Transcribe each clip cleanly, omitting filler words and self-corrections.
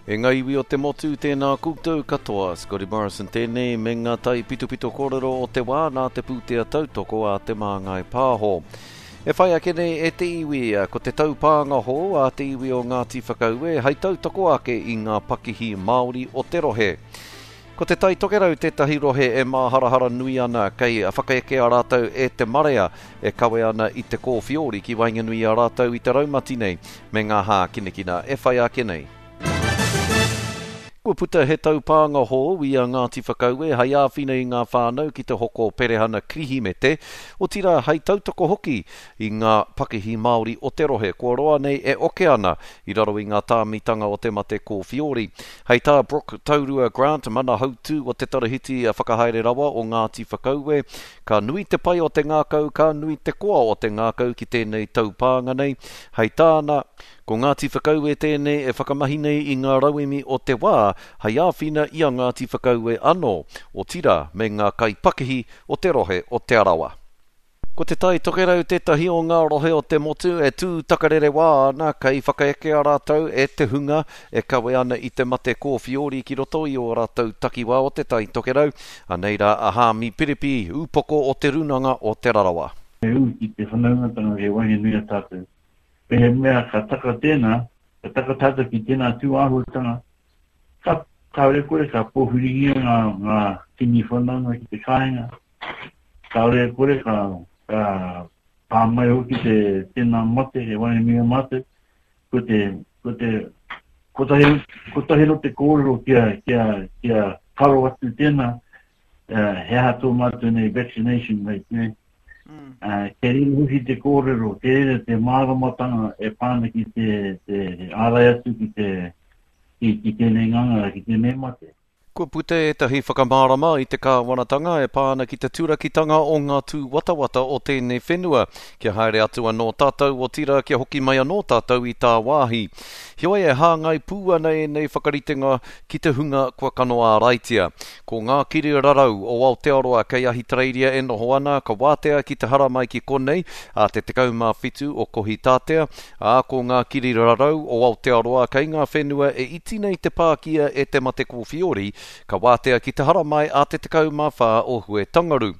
E ngā iwi o te motu, tēnā koutou katoa. Scotty Morrison tēnei me ngā taipitopito kōrero o te wā nā te pūtea tautoko a Te Māngai Pāho. E whai ake nei e te iwi, ko te taupānga hou a te iwi o Ngāti Whakaue hei tautoko ake i ngā pakihi Māori o te rohe. Ko Te Tai Tokerau tētahi rohe e māharahara nui ana kei whakaekea rātou e te marea e kawe ana i te kōwhiori ki waenganui i a rātou i te raumati nei me ngā hākinakina e whai ake nei. Kua puta he taupānga hou i a Ngāti Whakaue hei āwhina i ngā whānau ki te hoko perehana Kirihimete, otirā hei tautoko hoki i ngā pakihi Māori o te rohe kua roa nei e oke ana i raro i ngā tāmitanga o te mate kōwhiori. Hei tā Brooke Taurua Grant, mana hautū o te Tarahiti Whakahaere Rawa o Ngāti Whakaue, Ka nui te pai o te ngākau, ka nui te koa o te ngākau ki tēnei taupānga nei. Hei tāna, Ko Ngāti Whakaue tēnei e whakamahi nei i ngā rauemi o te wā hei āwhina i a Ngāti Whakaue anō, otirā me ngā kaipakihi o te rohe o Te Arawa. Ko Te Tai Tokerau tētahi o ngā rohe o te motu e tū takarerewā ana kei whakaekea rātou e te hunga e kawe ana i te mate kōwhiori ki roto i ō rātou takiwā o Te Tai Tokerau. Anei rā a Hāmi Piripi, ūpoko o Te Rūnanga o Te Rarawa. Me ū ki te whanaungatanga kei waenganui a tātou. Mehemea ka taka tēnā, ka taka tātou ki tēnā tū āhuatanga, ka, kāore kore ka pōwhiringia ngā, ngā tini whanaunga ki te kāinga, Kāore e kore ka, ka pā mai hoki te tēnā mate e waenganui a mātou, ko te, ko te, kotahi, kotahi no te kōrero kia, kia, kia karo atu tēnā, uh, he aha tō mātou nei vaccination rate, ne? Mm. Uh, kei reira hoki te kōrero, kei reira te māramatanga e pā ana ki te, te ārai atu ki te, ki, ki tēnei ngangara, ki tēnei mate. Kua puta ētahi whakamārama i te kāwanatanga e pā ana ki te turakitanga o ngā tūwatawata o tēnei whenua, kia haere atu anō tātou, otirā kia hoki mai anō tātou i tāwāhi. Heoi e hāngai pū ana ēnei whakaritenga ki te hunga kua kano āraitia. Ko ngā kirirarau o Aotearoa kei Ahitereiria e noho ana, ka wātea ki te haramai ki konei ā te 17 o Kohitātea, Ā, ko ngā kirirarau o Aotearoa kei ngā whenua e iti nei te pākia e te mate kōwhiori, ka wātea ki te haramai a te 14 o Huetangaru.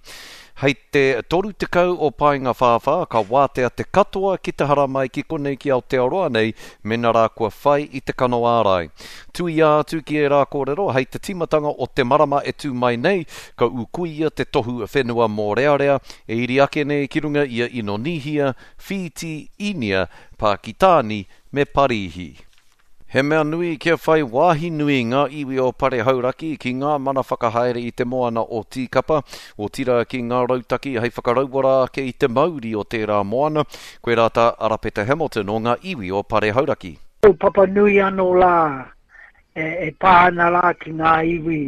Hei te 30 o Paengawhāwhā ka wātea te katoa ki te haramai ki konei ki Aotearoa nei mena rā kua whai i te kano ārai. Tuia atu ki ērā kōrero, hei te tīmatanga o te marama e tū mai nei, ka ūkuia te tohu whenua mōrearea e iri ake nei ki runga i a Inonīhia, Whīti, Īnia, Pākitāni me Parīhi. He mea nui kia whai wāhi nui ngā iwi o Pare Hauraki ki ngā mana whakahaere i te moana o Tīkapa, otirā ki ngā rautaki hei whakarauora ake i te mauri o tērā moana, koirā tā Arapeta Hamilton o ngā iwi o Pare Hauraki. Kaupapa nui anō rā e pā ana rā ki ngā iwi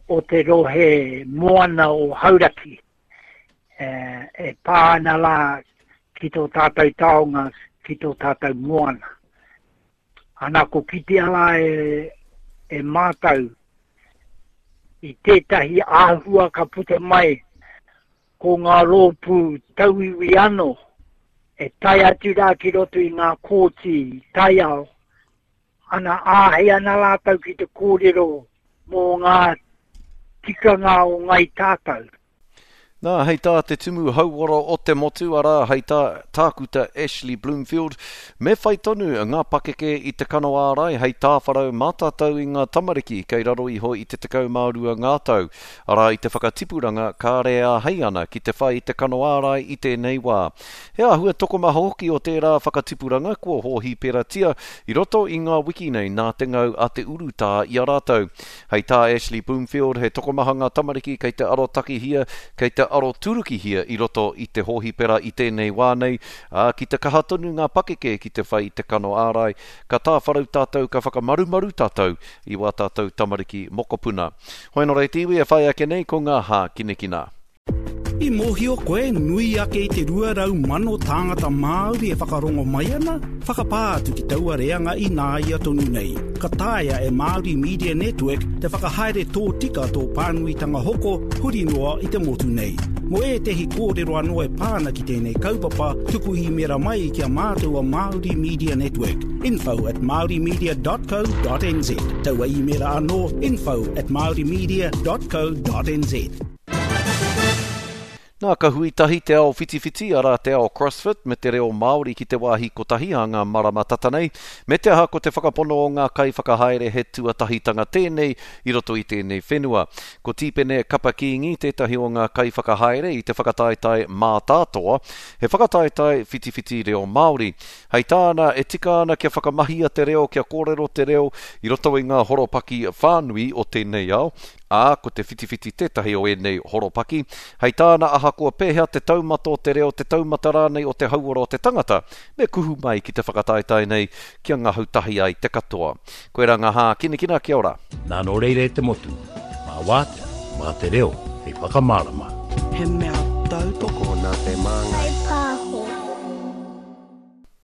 o te rohe moana o Hauraki. e pā ana rā ki tō tātou taonga, ki tō tātou moana. Ana ko kitea rā e, e mātou i tētahi āhua ka puta mai ko ngā rōpū tauiwi anō e tae atu rā ki roto i ngā kōti taiao Ana, āhei ana rātou ki te kōrero mō ngā tikanga o Ngāi Tātou. Nā, hei tā te Tumu Hauora o te motu, arā, hei tā Tākuta Ashley Bloomfield, me whai tonu ngā pakeke i te kano ārai hei tāwharau mā tātou i ngā tamariki kei raro iho i te 12 ngā tau, arā, i te whakatipuranga kāre e āhei ana ki te whai i te kano ārai i tēnei wā. He āhua tokomaha hoki o tērā whakatipuranga kua hōhiperatia i roto i ngā wiki nei nā te ngau a te urutā i a rātou. Hei tā Ashley Bloomfield, he tokomaha ngā tamariki kei te arotakihia, kei te aroturukihia i roto i te hōhipera i tēnei wā nei, ā, ki te kaha tonu ngā pakeke ki te whai i te kano ārai, ka tāwharau tātou, ka whakamarumaru tātou i wā tātou tamariki mokopuna. Hoi nō reira te iwi e whai ake nei ko ngā hākinakina. I mōhio koe nui ake i te 200,000 tāngata Māori e whakarongo mai ana? Whakapā atu ki taua reanga ināia tonu nei. Ka taea e Māori Media Network te whakahaere tōtika tō pānuitanga hoko huri noa i te motu nei. Mō ētehi kōrero anō e pā ana ki tēnei kaupapa, tuku īmēra mai ki a mātou o Māori Media Network, info at māorimedia dot co dot nz. Taua īmēra anō, info at māorimedia dot co dot nz. Nā, ka hui tahi te ao whitiwhiti, arā te ao CrossFit, me te reo Māori ki te wāhi kotahi ā ngā marama tata nei, me te aha ko te whakapono o ngā kaiwhakahaere he tuatahitanga tēnei i roto i tēnei whenua. Ko Tīpene Kapa Kīngi tētahi o ngā kaiwhakahaere i te whakataetae Mātātoa, he whakataetae whitiwhiti reo Māori. Hei tāna, e tika ana kia whakamahia te reo, kia kōrero te reo i roto i ngā horopaki whānui o tēnei ao, ā, ko te whitiwhiti tētahi o ēnei horopaki. Hei tāna, ahakoa pēhea te taumata o te reo, te taumata rānei o te hauora o te tangata, me kuhu mai ki te whakataetae nei kia ngahau tahi ai te katoa. Koirā ngā hākinakina, kia ora. Nā nō reira e te motu, mā Wātea, mā te reo hei whakamārama. He mea tautoko nā te Māngai.